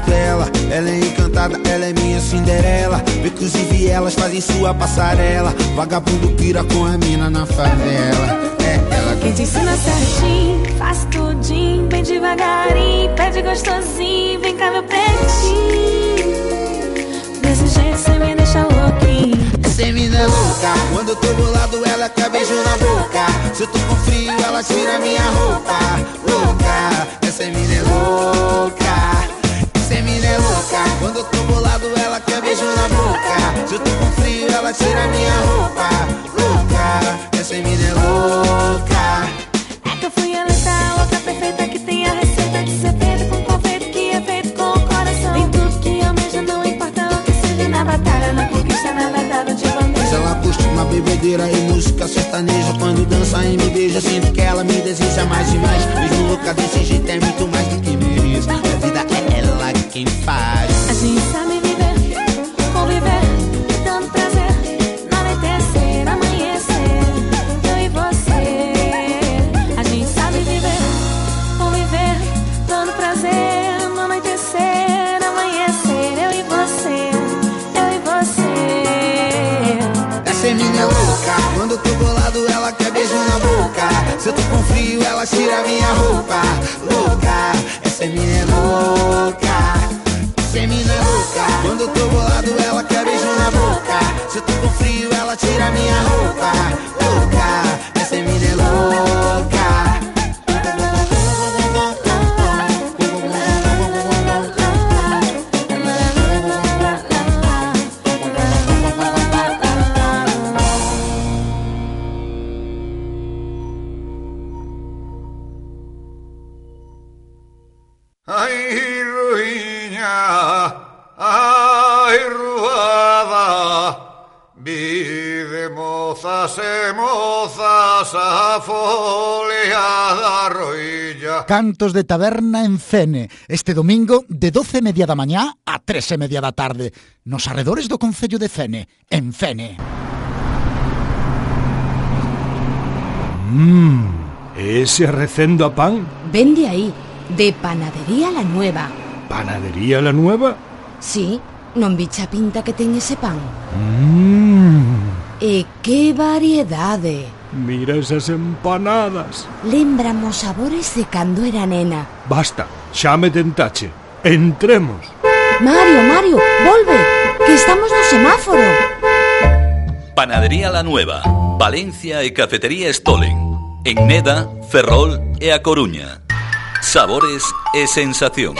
costela. Ela é encantada, ela é minha Cinderela. Inclusive elas fazem sua passarela. Vagabundo pira com a mina na favela. É ela quem te ensina certinho, faz tudinho, bem devagarinho, pede gostosinho, vem cá meu pretinho. Desse jeito cê me deixa louquinho. Essa mina é louca, quando eu tô bolado ela quer beijo na boca. Se eu tô com frio ela tira minha roupa. Louca, essa mina é louca. Essa mina é louca, quando eu tô bolado ela quer beijo na boca. Se eu tô com frio ela tira minha roupa. Louca, essa mina é louca. É que eu fui eleita, louca perfeita que tem a receita de ser feito com confeito que é feito com o coração. Tem tudo que almeja, não importa o que seja na batalha, na conquista, na batalha de bandeja. Ela curte uma bebedeira e música sertaneja. Quando dança e me beija, sinto que ela me deseja mais e mais. Mesmo louca desse jeito é muito mais do que mereço. A vida é ela quem faz. A gente sabe viver, conviver, dando prazer, anoitecer, amanhecer, eu e você. A gente sabe viver, conviver, dando prazer, anoitecer, amanhecer, eu e você, eu e você. Essa mina é louca, quando eu tô bolado ela quer beijo na boca. Se eu tô com frio ela tira minha roupa. Louca, essa mina é louca. Essa mina é louca, quando eu tô bolado ela quer beijo na boca. Se eu tô com frio ela tira minha roupa. Louca, essa mina é louca. Ai, ruinha, ai, ruada, vive mozas e mozas a foliada roilla. Cantos de taberna en Fene, este domingo de 12:30 da mañá a 3:30 da tarde, nos arredores do concello de Fene, en Fene. Ese recendo a pan. Vende aí, de Panadería La Nueva. ¿Panadería La Nueva? Sí, non bicha pinta que ten ese pan. E que variedade. Mira esas empanadas. Lembramos sabores de cando era nena. Basta, xa me tentache. Entremos. Mario, volve, que estamos no semáforo. Panadería La Nueva, Valencia e Cafetería Stolen. En Neda, Ferrol e A Coruña. Sabores e sensacións.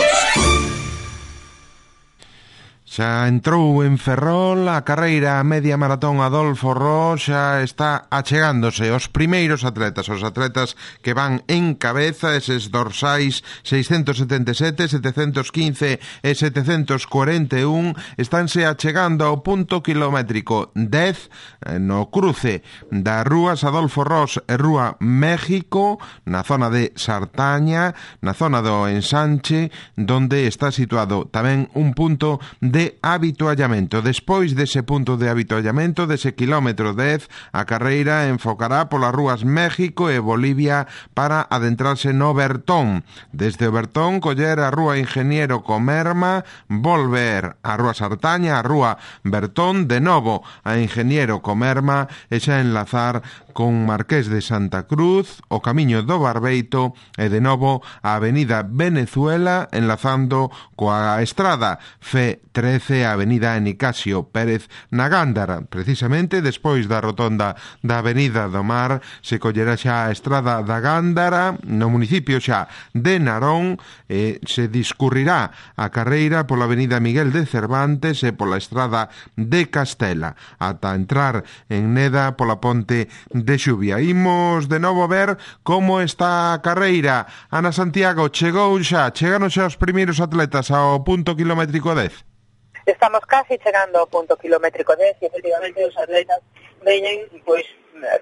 Xa entrou en Ferrol a carreira media maratón Adolfo Roxa, está achegándose os primeiros atletas, os atletas que van en cabeza, eses dorsais 677, 715 e 741, estánse achegando ao punto kilométrico 10 no cruce das rúas Adolfo Ros e Rúa México, na zona de Sartaña, na zona do Ensanche, donde está situado tamén un punto de habituallamento. Despois dese punto de habituallamento, dese kilómetro 10, a carreira enfocará polas rúas México e Bolivia para adentrarse no Bertón. Desde o Bertón, coller a rúa Ingeniero Comerma, volver a rúa Sartaña, a rúa Bertón, de novo a Ingeniero Comerma e xa enlazar con Marqués de Santa Cruz, o camiño do Barbeito e de novo a avenida Venezuela enlazando coa estrada F13 a avenida Nicasio Pérez na Gándara. Precisamente despois da rotonda da avenida do Mar se collerá xa a estrada da Gándara no municipio xa de Narón e se discurrirá a carreira pola avenida Miguel de Cervantes e pola estrada de Castela ata entrar en Neda pola ponte de Xuvia. Imos de novo ver como está a carreira. Ana Santiago, chegaron xa os primeiros atletas ao punto kilométrico 10? Estamos casi chegando ao punto kilométrico 10 e efectivamente os atletas veñen pois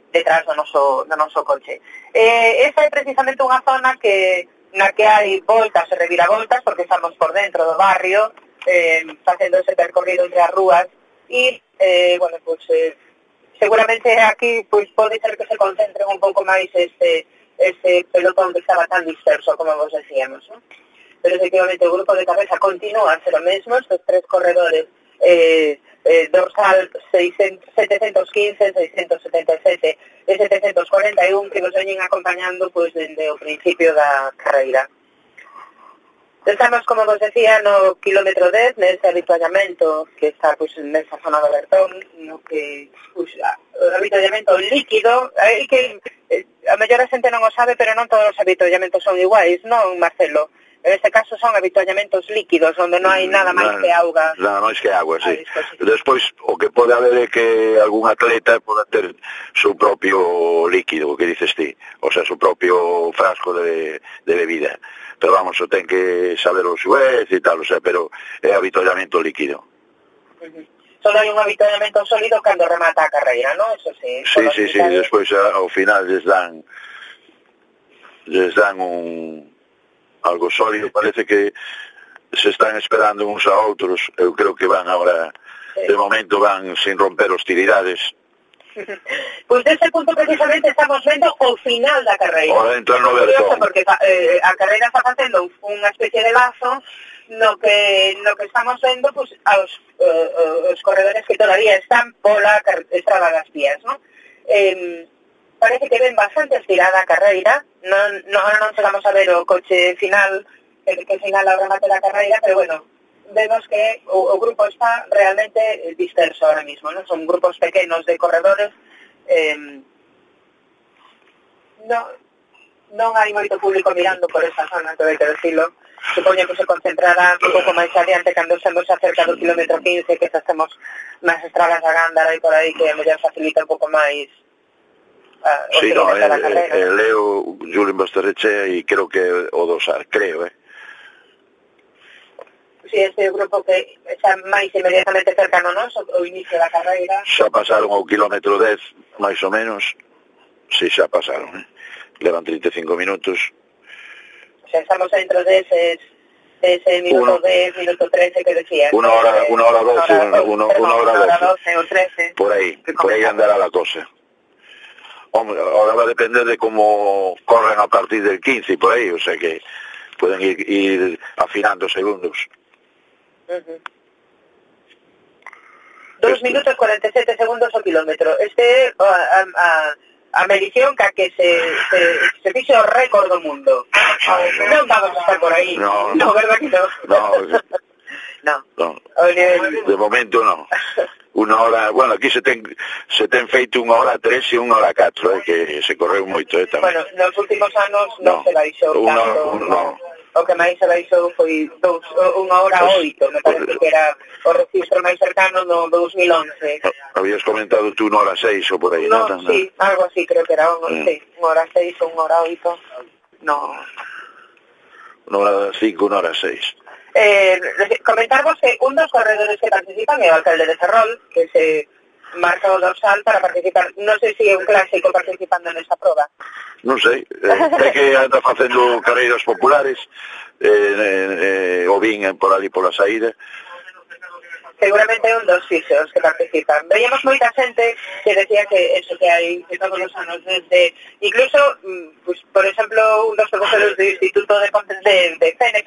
detrás do noso coche. Esa é precisamente unha zona na que hai voltas e reviravoltas porque estamos por dentro do barrio facendo ese percorrido entre as rúas e, seguramente aquí pois pode ser que se concentren un pouco máis ese pelotón que estaba tan disperso, como vos decíamos, ¿no? pero efectivamente o grupo de cabeza continúa a ser o mesmo, estes 3 corredores, dorsal 715, 677 e 741 que nos veñen acompañando pois dende o principio da carreira. Estamos, como vos decía, no kilómetro 10, nese habituallamento que está pois nesa zona do Bertón, no que pois, o habituallamento líquido, que a mellor a xente non o sabe, pero non todos os habituallamentos son iguais, non, Marcelo? En este caso son habituallamentos líquidos, onde non hai nada máis que auga. Nada máis que agua, sí. Despois, o que pode haber é que algún atleta poda ter seu propio líquido, o que dices ti, o sea, seu propio frasco de bebida. Pero vamos, o ten que saber o xuez e tal, o sea, pero é habituallamento líquido. Só hai un habituallamento sólido cando remata a carreira, non? Eso sí. Sí, despois ao final les dan algo sólido, parece que se están esperando uns a outros, eu creo que van agora, de momento van sin romper hostilidades. Pois dese punto precisamente estamos vendo o final da carreira. Ora entrar no Bertón. Porque a carreira está facendo unha especie de lazo no que estamos vendo pois, os corredores que todavía están pola estrada das vías, non? Parece que ven bastante estirada a carreira, non chegamos a ver o coche final que finala o remate da carreira, pero bueno, vemos que o grupo está realmente disperso ahora mismo, non? Son grupos pequenos de corredores, non hai moito público mirando por esa zona, que hai que decirlo. Supoño que se concentrará un pouco máis adiante cando estemos acerca do kilómetro 15, que xa estemos nas estradas da Gándara e por aí, que a mellor facilita un pouco máis sí, no, leo Julio Basterrechea e creo que o dosar, creo, Si, este grupo que xa máis inmediatamente cercano nos, o inicio da carreira. Xa pasaron ao kilómetro 10, máis ou menos. Si, xa pasaron, levan 35 minutos. Xa estamos dentro ese minuto 10, minuto 13 que decía. Una hora 12 o 13. Por aí andará la cosa. Hombre, ahora va a depender de cómo corren a partir del 15 y por ahí, o sea que pueden ir afinando segundos. 2 minutos 47 segundos o kilómetro. A medición que se fixo o récord do mundo. Non vamos a estar por aí. No, verdad que no. No. De momento no. Una hora, bueno, aquí se ten feito 1 hora 3 e 1 hora 4, que se correu moito tamén. Bueno, nos últimos anos non se baixou tanto. O que máis se baixou foi 1 hora 8, me parece que era o registro máis cercano no 2011. Habías comentado tú 1 hora 6 ou por aí, non? Sí, algo así, creo que era 1 hora 6 ou 1 hora 8. No. 1 hora 5, 1 hora 6. Comentarvos que un dos corredores que participan é o alcalde de Ferrol, que se marca o dorsal para participar. Non sei se é un clásico participando nesta proba. Non sei, é que anda facendo carreiras populares, o vin por ali pola saída. Seguramente é un dos fixos que participan. Veíamos moita xente que decía que eso que hai que todos os anos desde, incluso, pues, por exemplo, un dos profesores do Instituto de CENE,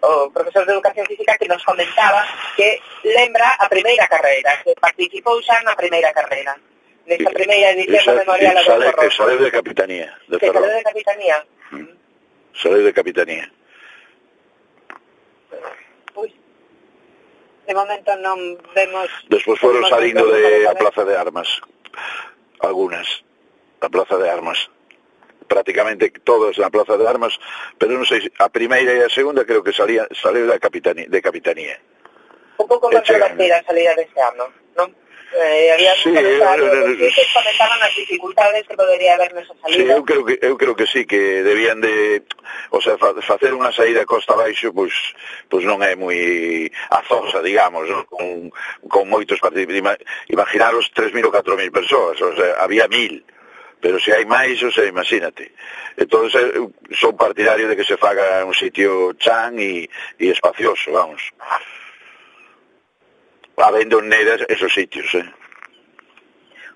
o profesor de Educación Física, que nos comentaba que lembra a primeira carreira, que participou xa na primeira carreira. Nesta primeira edición do Memorial a Adolfo Rojo. Saleu de Capitanía. Saleu de Capitanía. Saleu de Capitanía. De momento non vemos... Despois foron salindo de a Plaza de Armas. Algunas. A Plaza de Armas. Prácticamente todas na Plaza de Armas, pero non sei, a primeira e a segunda creo que saleu de Capitanía. Un pouco controvertida a salida deste ano, non? Había sí, que comentaban as dificultades que podería haber nesa salida. Sí, eu creo que sí, que debían de, o sea, facer unha saída costa abaixo, pois non é moi azosa, digamos, ¿no? con moitos participantes. Imaginaros 3.000 ou 4.000 persoas, o sea, había 1.000. Pero se hai máis, o sea, imagínate. Entón, son partidario de que se faga un sitio chan e espacioso, vamos. Habendo nedas esos sitios,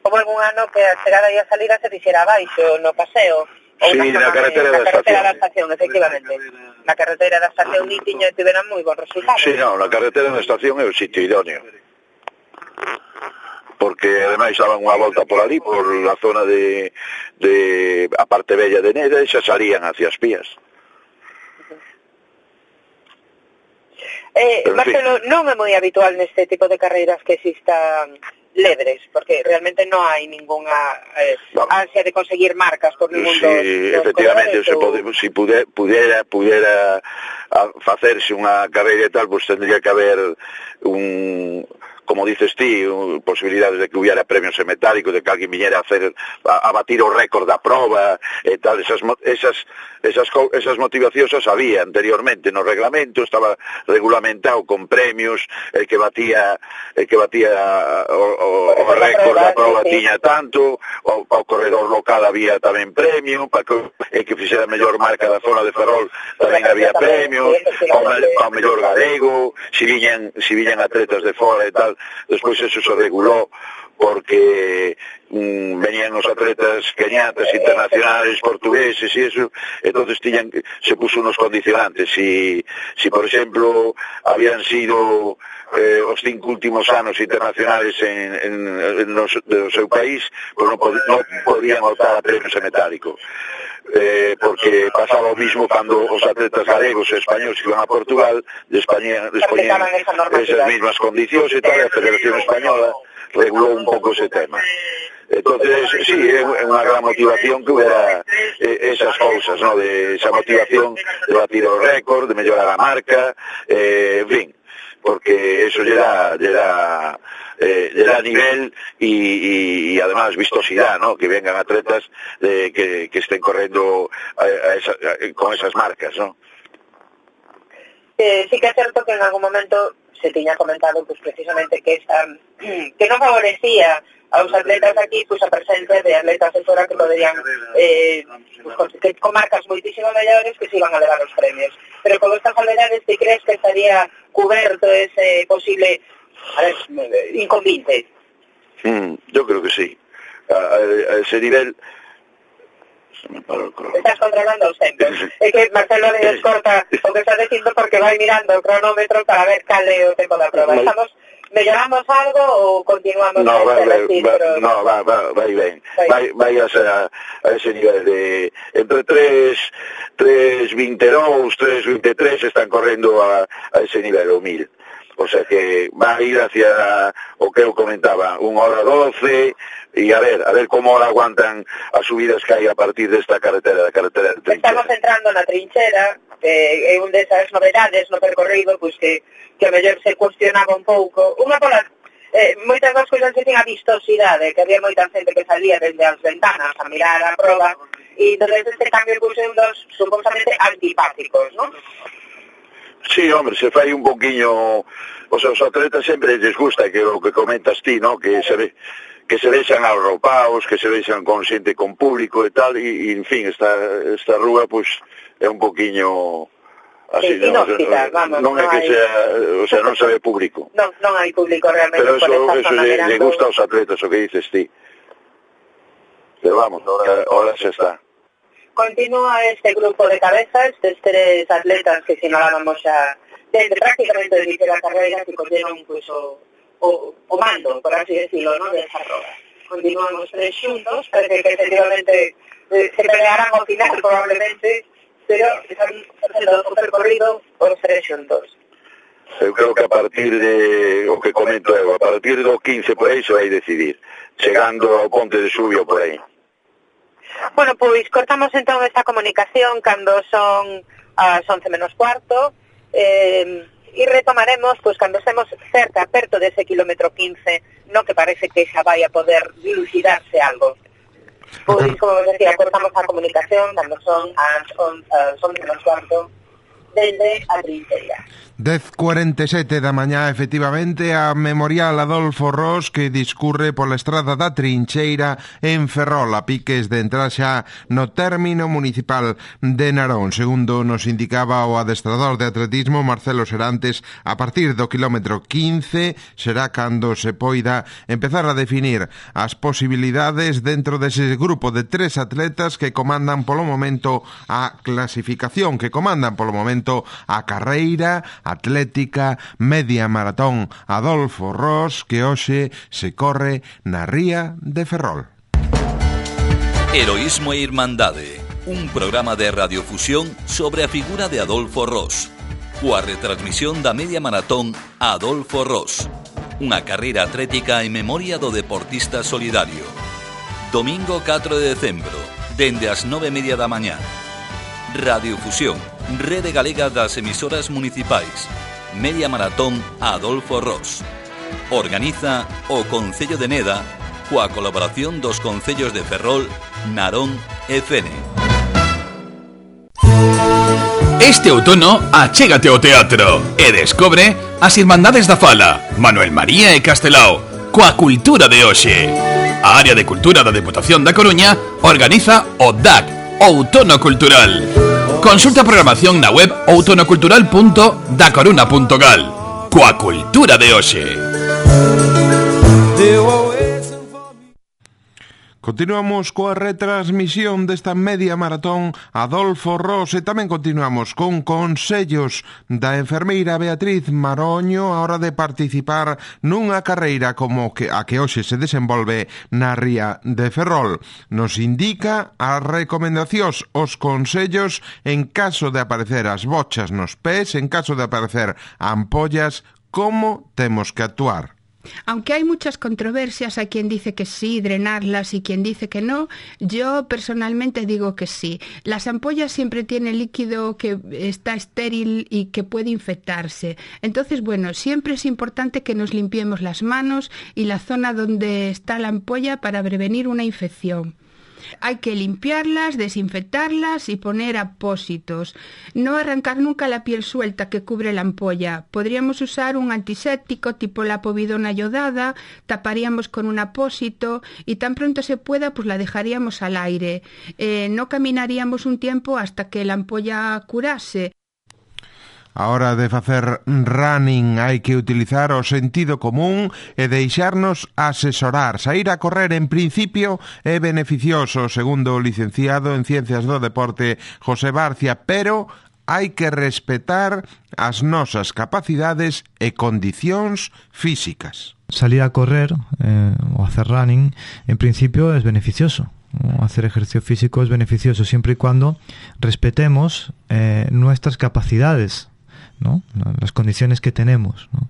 Houve algún ano que a chegada e a salida se fixera abaixo, no paseo. Sí, na carretera da estación. Efectivamente. na carretera da estación Nitiño tiveran moi bons resultados. Sí, non, na carretera da estación é o sitio idóneo. Porque ademais daban unha volta por ali, por a zona de a parte bella de Neda, e xa salían hacia as Pías. Marcelo, non é moi habitual neste tipo de carreiras que existan lebres, porque realmente non hai ninguna ansia de conseguir marcas por ningún dos efectivamente, colores, se pudera facerse unha carreira e tal, pues tendría que haber como dices ti, posibilidades de que hubiera premios en metálico, de que alguén viñera a batir o récord da prova e tal, esas motivacións as había anteriormente no reglamento, estaba regulamentado con premios, el que batía o récord da prova tiña tanto, ao corredor local había tamén premio, para que fixera a mellor marca da zona de Ferrol tamén había premios, ao mellor galego, si viñan atletas de fora e tal. Despois eso se regulou porque venían os atletas keñatas, internacionales, portugueses e eso, entonces se puso unos condicionantes. Si por exemplo habían sido os 5 últimos anos internacionales no seu país, pues non podían optar a premios en metálico. Porque pasaba o mismo cando os atletas galegos e españoles iban a Portugal, despoñían esas mismas condicións e tal, a Federación Española regulou un pouco ese tema. Entonces, sí, é unha gran motivación que hubiera esas cousas, ¿no? De esa motivación de batir o récord, de mellorar a marca, en fin, porque eso lle da nivel y además vistosidad, ¿no? Que vengan atletas que estén correndo con esas marcas, ¿no? Sí que é certo que en algún momento se tiña comentado pues precisamente que non favorecía aos atletas aquí pues a presencia de atletas de fora que poderían con marcas moitísimo mellores que se iban a levar os premios. Pero con estas salvedades, ti crees que estaría cuberto ese posible inconveniente? Yo creo que sí. A ese nivel... Estás controlando os tempos. É que Marcelo le descorta o que está dicindo porque vai mirando o cronómetro para ver cal é o tempo da prova. Melloramos algo ou continuamos? No, vai ben. Vai a ese nivel de entre 3.22, 3.23 están correndo a ese nivel, o 1000. O sea que va a ir hacia o que eu comentaba, 1:12, e a ver como ahora aguantan as subidas que hai a partir desta carretera, da carretera de Trinchera. Estamos entrando na Trinchera, é un desas novedades no percorrido, pois que a mellor se cuestionaba un pouco. Unha pola moitas das cousas que ten a vistosidade, que había moita xente que salía dende as ventanas a mirar a prova, e entonces este cambio puxe un dos supostamente antipáticos, non? Sí, hombre, se fai un poquinho, o sea, os atletas sempre les gusta que o que comentas ti, ¿no? Que se vexan arropaos, que se vexan con xente, con público e tal, e en fin, esta rúa, pues, é un poquinho así, sí, inhóspita, vamos. Non é que sea, o sea, non se ve público. Non hai público realmente. Pero eso le gusta aos atletas, o que dices ti. Pero vamos, ahora xa está. Continúa este grupo de cabezas, estes 3 atletas que sinalábamos xa desde prácticamente el inicio da carreira que colleron pues, o mando, por así decirlo, ¿no? De esa roda. Continuamos 3 xuntos, parece que efectivamente se pelearán ao final probablemente, pero están facendo o percorrido os 3 xuntos. Eu creo que a partir de o que comento eu, a partir do 15 por aí se vai decidir, chegando ao Ponte de Subio por aí. Bueno, pois cortamos entón esta comunicación cando son as 11:15 e retomaremos pois cando estemos perto dese kilómetro 15, no que parece que xa vai a poder dilucidarse algo. Pois, como vos decía, cortamos a comunicación cando son as 11:15 dende a trincheira. 10:47 da mañá, efectivamente, a Memorial Adolfo Ros que discurre pola estrada da Trincheira en Ferrol, a piques de entrar xa no término municipal de Narón. Segundo nos indicaba o adestrador de atletismo Marcelo Serantes, a partir do kilómetro 15 será cando se poida empezar a definir as posibilidades dentro dese grupo de 3 atletas que comandan polo momento a clasificación, que comandan polo momento a carreira atlética media maratón Adolfo Ros, que hoxe se corre na ría de Ferrol. Heroísmo e Irmandade, un programa de radiofusión sobre a figura de Adolfo Ros, coa retransmisión da media maratón Adolfo Ros, unha carreira atlética en memoria do deportista solidario. Domingo 4 de decembro, dende as 9:30 da mañá. Radiofusión, Rede Galega das Emisoras Municipais. Media Maratón Adolfo Ros. Organiza o Concello de Neda coa colaboración dos concellos de Ferrol, Narón e Fene. Este outono achégate ao teatro e descobre as Irmandades da Fala, Manuel María e Castelao, coa cultura de hoxe. A Área de Cultura da Deputación da Coruña organiza o DAC, Outono Cultural. Consulta a programación na web outonocultural.dacoruna.gal. Coa cultura de hoxe. Continuamos coa retransmisión desta media maratón Adolfo Ros e tamén continuamos con consellos da enfermeira Beatriz Maroño a hora de participar nunha carreira como a que hoxe se desenvolve na ría de Ferrol. Nos indica as recomendacións, os consellos en caso de aparecer as bochas nos pés, en caso de aparecer ampollas, como temos que actuar. Aunque hay muchas controversias, hay quien dice que sí, drenarlas, y quien dice que no, yo personalmente digo que sí. Las ampollas siempre tienen líquido que está estéril y que puede infectarse. Entonces, bueno, siempre es importante que nos limpiemos las manos y la zona donde está la ampolla para prevenir una infección. Hay que limpiarlas, desinfectarlas y poner apósitos. No arrancar nunca la piel suelta que cubre la ampolla. Podríamos usar un antiséptico tipo la povidona iodada, taparíamos con un apósito y tan pronto se pueda pues la dejaríamos al aire. No caminaríamos un tiempo hasta que la ampolla curase. A hora de facer running hai que utilizar o sentido común e deixarnos asesorar. Saír a correr en principio é beneficioso, segundo o licenciado en Ciencias do Deporte José Barcia, pero hai que respetar as nosas capacidades e condicións físicas. Salir a correr o hacer running en principio es beneficioso. Hacer ejercicio físico es beneficioso siempre y cuando respetemos nuestras capacidades, ¿no? Las condiciones que tenemos, ¿no?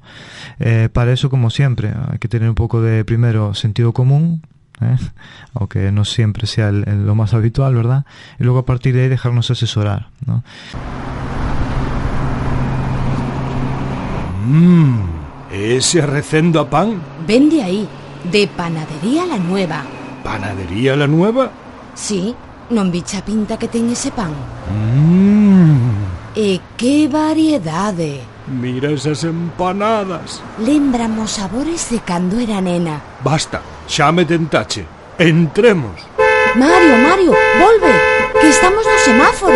Para eso, como siempre, hay que tener un poco de, primero, sentido común, aunque no siempre sea lo más habitual, ¿verdad? Y luego a partir de ahí dejarnos asesorar, ¿no? Ese recendo a pan. Vende ahí, de Panadería La Nueva. ¿Panadería La Nueva? Sí, non bicha pinta que ten ese pan. E que variedade. Mira esas empanadas. Lembramos sabores de cando era nena. Basta, xa me tentache. Entremos. Mario, volve, que estamos no semáforo.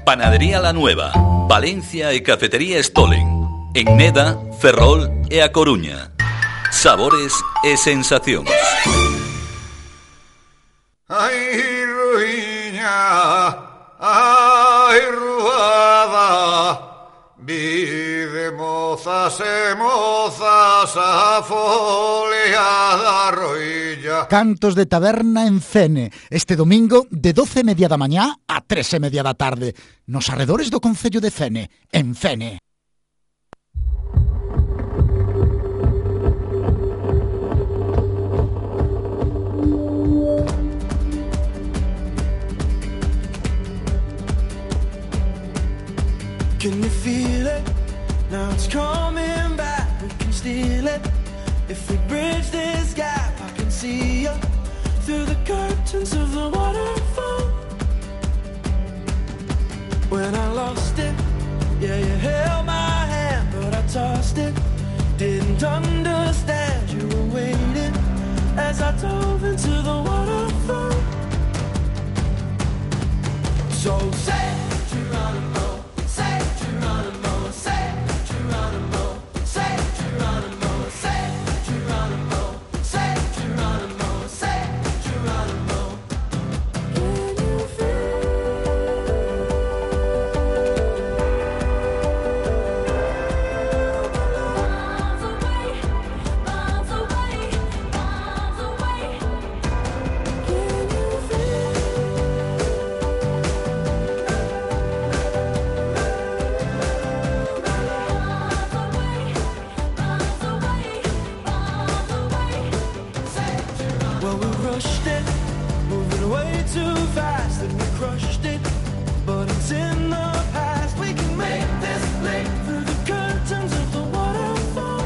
Panadería La Nueva, Valencia e Cafetería Stolen. En Neda, Ferrol e A Coruña. Sabores e sensacións. Ai, ruiña, ai, ruada, vide mozas e mozas a foliada roilla. Cantos de taberna en Fene, este domingo de 12:30 da mañá a 3:30 da tarde, nos arredores do concello de Fene, en Fene. Can you feel it? Now it's coming back. We can steal it. If we bridge this gap, I can see you through the curtains of the waterfall. When I lost I dove into the waterfall. So say Geronimo, say Geronimo, say Geronimo, say Geronimo, say Geronimo, say Geronimo, say Geronimo. Can you Well, we rushed it, moving way too fast, and we crushed it, but it's in the past. We can make this leap through the curtains of the waterfall.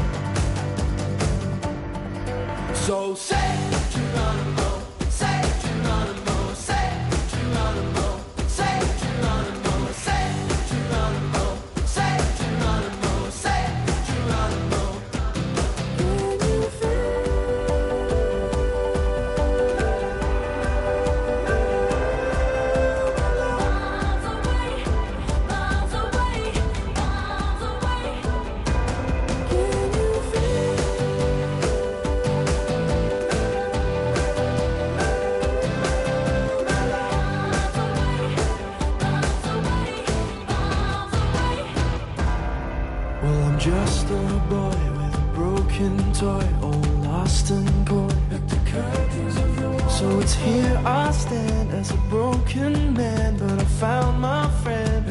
So say Geronimo, say Geronimo, say Geronimo, say Geronimo, say Geronimo, say Geronimo, say Geronimo. Can you Well, I'm just a boy with a broken toy, all lost and coy. So it's here I stand as a broken man, but I found my friend.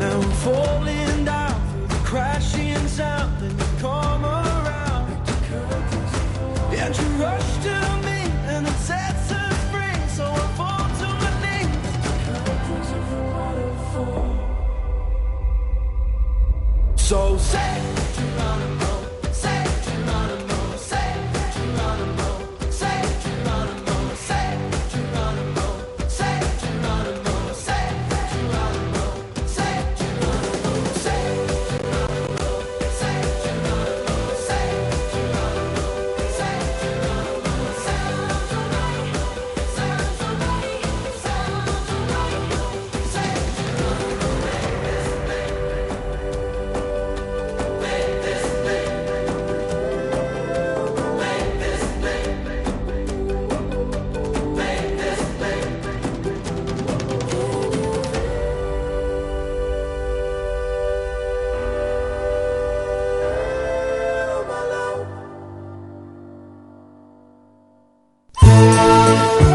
Now I'm falling down through the crashing sound, and you come around, and you rush to me, and it sets us free. So I fall to my knees. So say Geronimo, say Geronimo, say Geronimo, say Geronimo, say Geronimo, say Geronimo, say Geronimo, say Geronimo, say Geronimo, say Geronimo, say Geronimo, say Geronimo, sounds alright, sounds alright, sounds alright, say Geronimo, make this thing.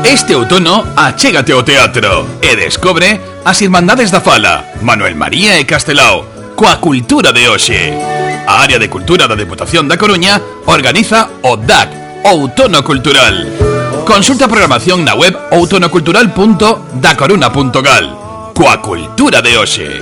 Este outono achégate ao teatro e descobre as Irmandades da Fala, Manuel María e Castelao, coa cultura de hoxe. A Área de Cultura da Deputación da Coruña organiza o DAC, Outono Cultural. Consulta a programación na web outonocultural.dacoruna.gal. Coa cultura de hoxe.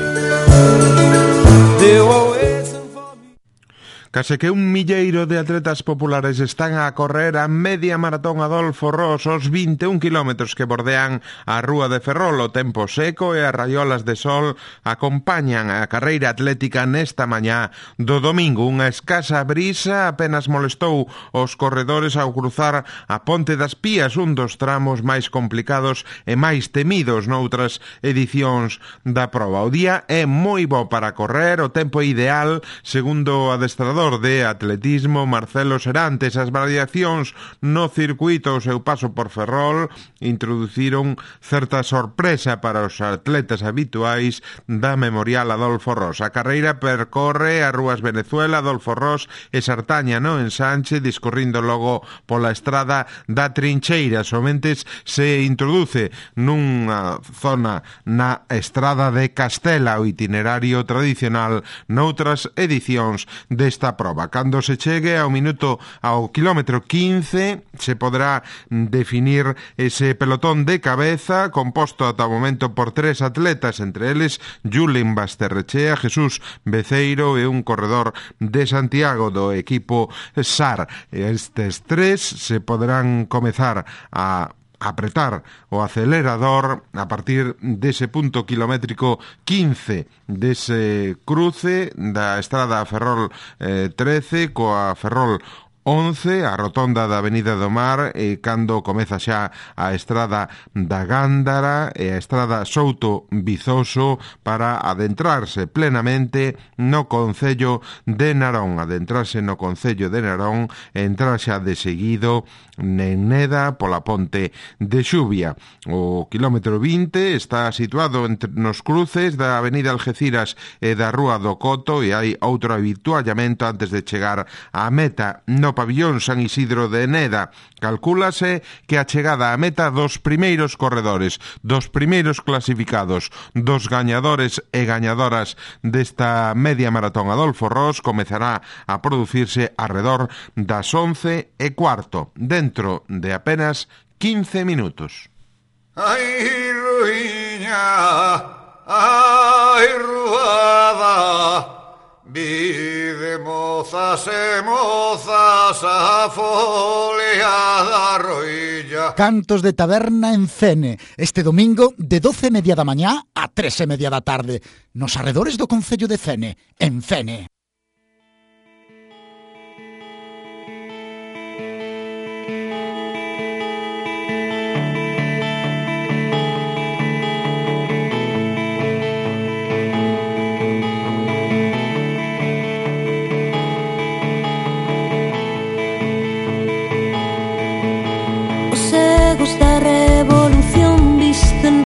Case que 1 milleiro de atletas populares están a correr a media maratón Adolfo Ros, os 21 kilómetros que bordean a Rúa de Ferrol. O tempo seco e as raiolas de sol acompañan a carreira atlética nesta mañá do domingo. Unha escasa brisa apenas molestou os corredores ao cruzar a Ponte das Pías, un dos tramos máis complicados e máis temidos noutras edicións da proba. O día é moi bo para correr, o tempo ideal, segundo o adestrador de atletismo Marcelo Serantes. As variacións no circuito ao seu paso por Ferrol introduciron certa sorpresa para os atletas habituais da Memorial Adolfo Ros. A carreira percorre as rúas Venezuela, Adolfo Ros e Sartaña no ensanche, discorrindo logo pola estrada da Trincheira. Somente se introduce nunha zona na estrada de Castela, o itinerario tradicional noutras edicións desta proba. Cando se chegue ao quilómetro 15 se poderá definir ese pelotón de cabeza composto ata o momento por 3 atletas, entre eles Julen Basterrechea, Jesús Beceiro e un corredor de Santiago do equipo SAR. Estes 3 se poderán comezar a apretar o acelerador a partir dese punto kilométrico 15 dese cruce da estrada Ferrol 13 coa Ferrol 11, a rotonda da Avenida do Mar, e cando comeza xa a estrada da Gándara e a estrada Souto Vizoso para adentrarse plenamente no concello de Narón. Adentrarse no concello de Narón e entrar xa de seguido en Neda pola ponte de Xuvia. O quilómetro 20 está situado nos cruces da Avenida Algeciras e da Rúa do Coto, e hai outro habituallamento antes de chegar á meta no pabillón San Isidro de Neda. Calcúlase que a chegada á meta dos primeiros corredores, dos primeiros clasificados, dos gañadores e gañadoras desta media maratón Adolfo Ross comezará a producirse arredor das 11:15, dentro de apenas 15 minutos. Ai, ruiña, ai, ruada, vide mozas e mozas a folia da roilla. Cantos de taberna en Fene, este domingo de 12:30 da mañá a 3:30 da tarde, nos arredores do concello de Fene, en Fene.